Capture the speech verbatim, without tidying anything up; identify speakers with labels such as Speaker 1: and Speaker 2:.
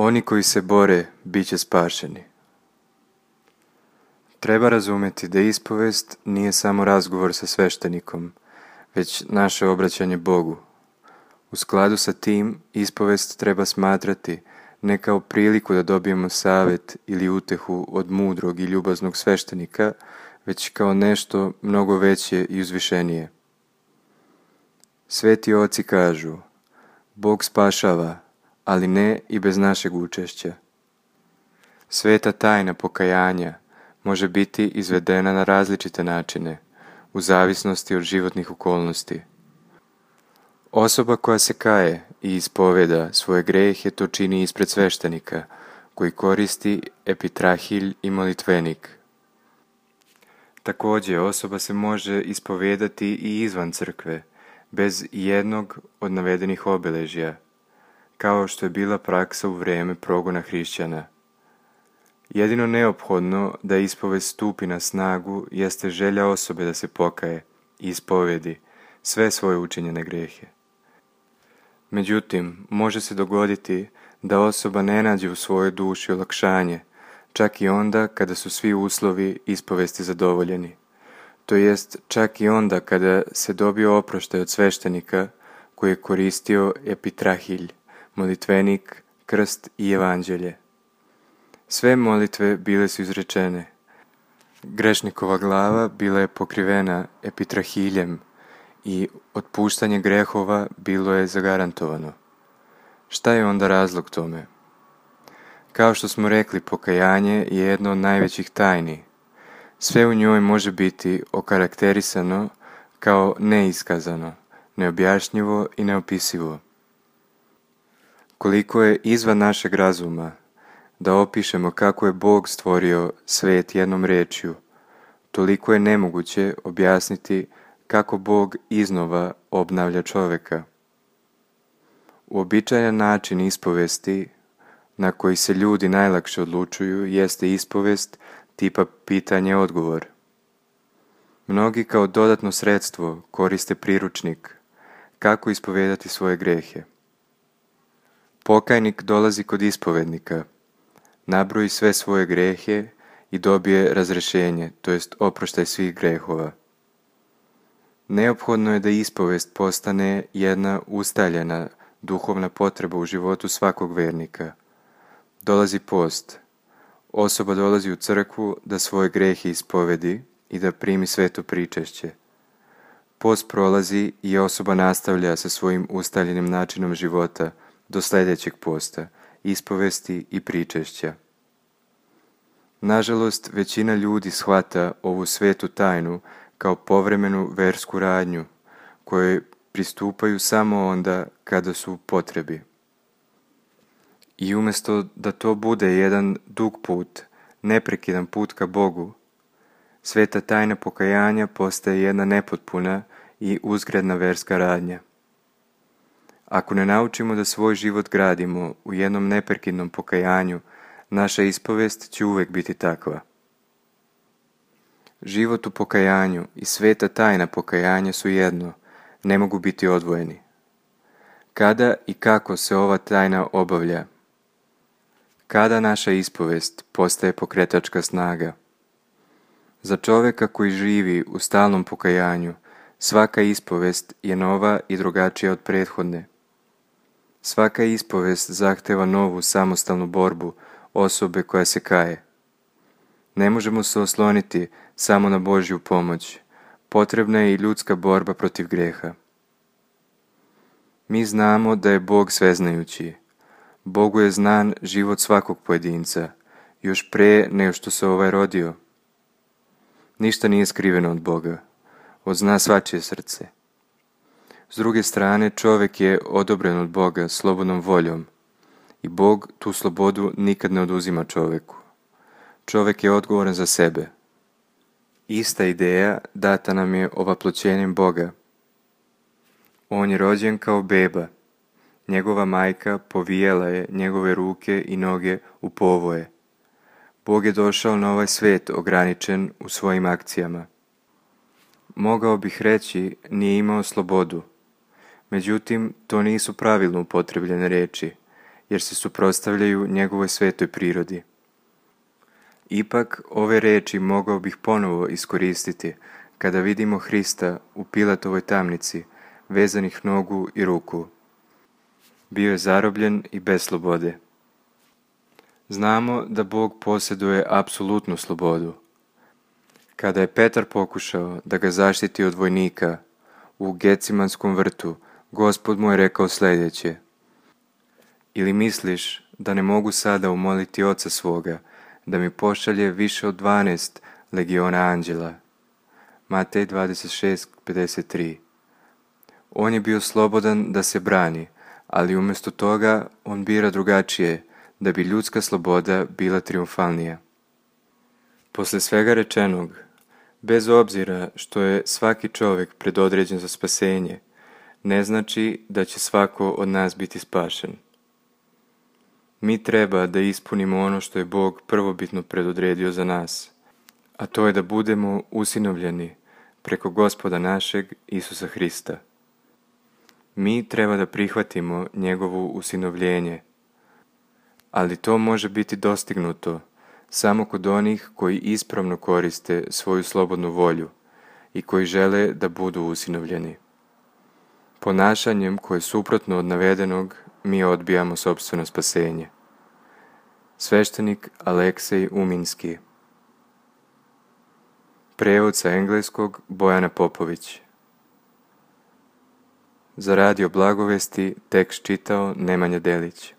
Speaker 1: Oni koji se bore, bit će spašeni. Treba razumjeti da ispovest nije samo razgovor sa sveštenikom, već naše obraćanje Bogu. U skladu sa tim, ispovest treba smatrati ne kao priliku da dobijemo savjet ili utehu od mudrog i ljubaznog sveštenika, već kao nešto mnogo veće i uzvišenije. Sveti oci kažu: Bog spašava, ali ne i bez našeg učešća. Sveta tajna pokajanja može biti izvedena na različite načine, u zavisnosti od životnih okolnosti. Osoba koja se kaje i ispoveda svoje grehe to čini ispred sveštenika, koji koristi epitrahilj i molitvenik. Također, osoba se može ispovedati i izvan crkve, bez jednog od navedenih obilježja, kao što je bila praksa u vrijeme progona hrišćana. Jedino neophodno da ispovest stupi na snagu jeste želja osobe da se pokaje i ispovedi sve svoje učinjene grehe. Međutim, može se dogoditi da osoba ne nađe u svojoj duši olakšanje, čak i onda kada su svi uslovi ispovesti zadovoljeni. To jest čak i onda kada se dobio oproštaj od sveštenika koji je koristio epitrahilj, molitvenik, krst i evanđelje. Sve molitve bile su izrečene. Grešnikova glava bila je pokrivena epitrahiljem i otpuštanje grehova bilo je zagarantovano. Šta je onda razlog tome? Kao što smo rekli, pokajanje je jedno od najvećih tajni. Sve u njoj može biti okarakterisano kao neiskazano, neobjašnjivo i neopisivo. Koliko je izvan našeg razuma da opišemo kako je Bog stvorio svet jednom rečju, toliko je nemoguće objasniti kako Bog iznova obnavlja čovjeka. Uobičajen način ispovesti na koji se ljudi najlakše odlučuju jeste ispovest tipa pitanje-odgovor. Mnogi kao dodatno sredstvo koriste priručnik kako ispovedati svoje grehe. Pokajnik dolazi kod ispovednika, nabroji sve svoje grehe i dobije razrešenje, to jest oproštaj svih grehova. Neophodno je da ispovest postane jedna ustaljena duhovna potreba u životu svakog vernika. Dolazi post. Osoba dolazi u crkvu da svoje grehe ispovedi i da primi sveto pričešće. Post prolazi i osoba nastavlja sa svojim ustaljenim načinom života do sljedećeg posta, ispovesti i pričešća. Nažalost, većina ljudi shvata ovu svetu tajnu kao povremenu versku radnju, kojoj pristupaju samo onda kada su u potrebi. I umjesto da to bude jedan dug put, neprekidan put ka Bogu, sveta tajna pokajanja postaje jedna nepotpuna i uzgredna verska radnja. Ako ne naučimo da svoj život gradimo u jednom neprekidnom pokajanju, naša ispovest će uvijek biti takva. Život u pokajanju i sveta tajna pokajanja su jedno, ne mogu biti odvojeni. Kada i kako se ova tajna obavlja? Kada naša ispovest postaje pokretačka snaga? Za čovjeka koji živi u stalnom pokajanju, svaka ispovest je nova i drugačija od prethodne. Svaka ispovest zahteva novu samostalnu borbu osobe koja se kaje. Ne možemo se osloniti samo na Božju pomoć, potrebna je i ljudska borba protiv greha. Mi znamo da je Bog sveznajući. Bogu je znan život svakog pojedinca, još pre nego što se ovaj rodio. Ništa nije skriveno od Boga, on zna svačije srce. S druge strane, čovjek je odobren od Boga slobodnom voljom i Bog tu slobodu nikad ne oduzima čovjeku. Čovjek je odgovoran za sebe. Ista ideja data nam je ovaploćenjem Boga. On je rođen kao beba. Njegova majka povijela je njegove ruke i noge u povoje. Bog je došao na ovaj svijet ograničen u svojim akcijama. Mogao bih reći, nije imao slobodu. Međutim, to nisu pravilno upotrebljene riječi, jer se suprotstavljaju njegovoj svetoj prirodi. Ipak, ove riječi mogao bih ponovo iskoristiti kada vidimo Hrista u Pilatovoj tamnici, vezanih nogu i ruku. Bio je zarobljen i bez slobode. Znamo da Bog posjeduje apsolutnu slobodu. Kada je Petar pokušao da ga zaštiti od vojnika u Gecimanskom vrtu, Gospod mu je rekao sljedeće: ili misliš da ne mogu sada umoliti Oca svoga da mi pošalje više od dvanaest legiona anđela? Matej dvadeset šest pedeset tri. On je bio slobodan da se brani, ali umjesto toga on bira drugačije, da bi ljudska sloboda bila triumfalnija. Poslije svega rečenog, bez obzira što je svaki čovjek predodređen za spasenje, ne znači da će svako od nas biti spašen. Mi treba da ispunimo ono što je Bog prvobitno predodredio za nas, a to je da budemo usinovljeni preko Gospoda našeg Isusa Hrista. Mi treba da prihvatimo njegovo usinovljenje, ali to može biti dostignuto samo kod onih koji ispravno koriste svoju slobodnu volju i koji žele da budu usinovljeni. Ponašanjem koje je suprotno od navedenog, mi odbijamo sopstveno spasenje. Sveštenik Aleksej Uminski. Prijevod sa engleskog Bojana Popović. Za Radio Blagovesti tekst čitao Nemanja Delić.